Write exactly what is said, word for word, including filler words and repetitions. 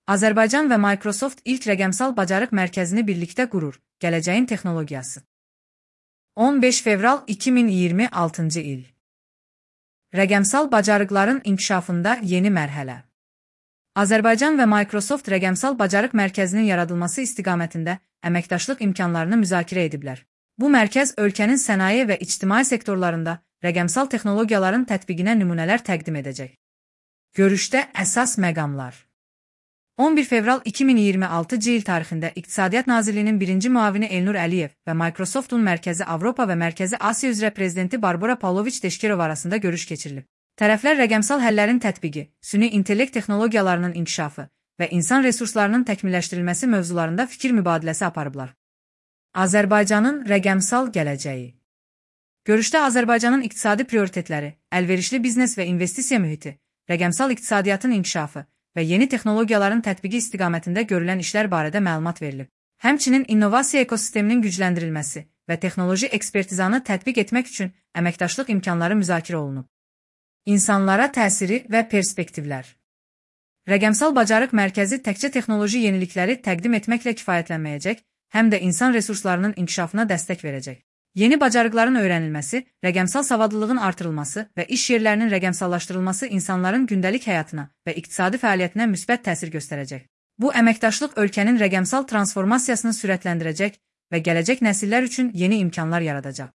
Azərbaycan və Microsoft ilk rəqəmsal bacarıq mərkəzini birlikdə qurur. Gələcəyin texnologiyası. on beş fevral iki min iyirmi altıncı il. Rəqəmsal bacarıqların inkişafında yeni mərhələ. Azərbaycan və Microsoft rəqəmsal bacarıq mərkəzinin yaradılması istiqamətində əməkdaşlıq imkanlarını müzakirə ediblər. Bu mərkəz ölkənin sənaye və ictimai sektorlarında rəqəmsal texnologiyaların tətbiqinə nümunələr təqdim edəcək. Görüşdə əsas məqamlar. on bir fevral iki min iyirmi altıncı il tarixində İqtisadiyyat Nazirliyinin birinci müavini Elnur Əliyev və Microsoftun Mərkəzi Avropa və Mərkəzi Asiya üzrə prezidenti Barbara Pavloviç Deşkirov arasında görüş keçirilib. Tərəflər rəqəmsal həllərin tətbiqi, süni intellekt texnologiyalarının inkişafı və insan resurslarının təkmilləşdirilməsi mövzularında fikir mübadiləsi aparıblar. Azərbaycanın rəqəmsal gələcəyi. Görüşdə Azərbaycanın iqtisadi prioritetləri, əlverişli biznes və investisiya mühiti, rəqəmsal iqtisadiyyatın inkişafı və yeni texnologiyaların tətbiqi istiqamətində görülən işlər barədə məlumat verilib. Həmçinin innovasiya ekosisteminin gücləndirilməsi və texnoloji ekspertizanı tətbiq etmək üçün əməkdaşlıq imkanları müzakirə olunub. İnsanlara təsiri və perspektivlər. Rəqəmsal bacarıq mərkəzi təkcə texnoloji yenilikləri təqdim etməklə kifayətlənməyəcək, həm də insan resurslarının inkişafına dəstək verəcək. Yeni bacarıqların öyrənilməsi, rəqəmsal savadlılığın artırılması və iş yerlərinin rəqəmsallaşdırılması insanların gündəlik həyatına və iqtisadi fəaliyyətinə müsbət təsir göstərəcək. Bu əməkdaşlıq ölkənin rəqəmsal transformasiyasını sürətləndirəcək və gələcək nəsillər üçün yeni imkanlar yaradacaq.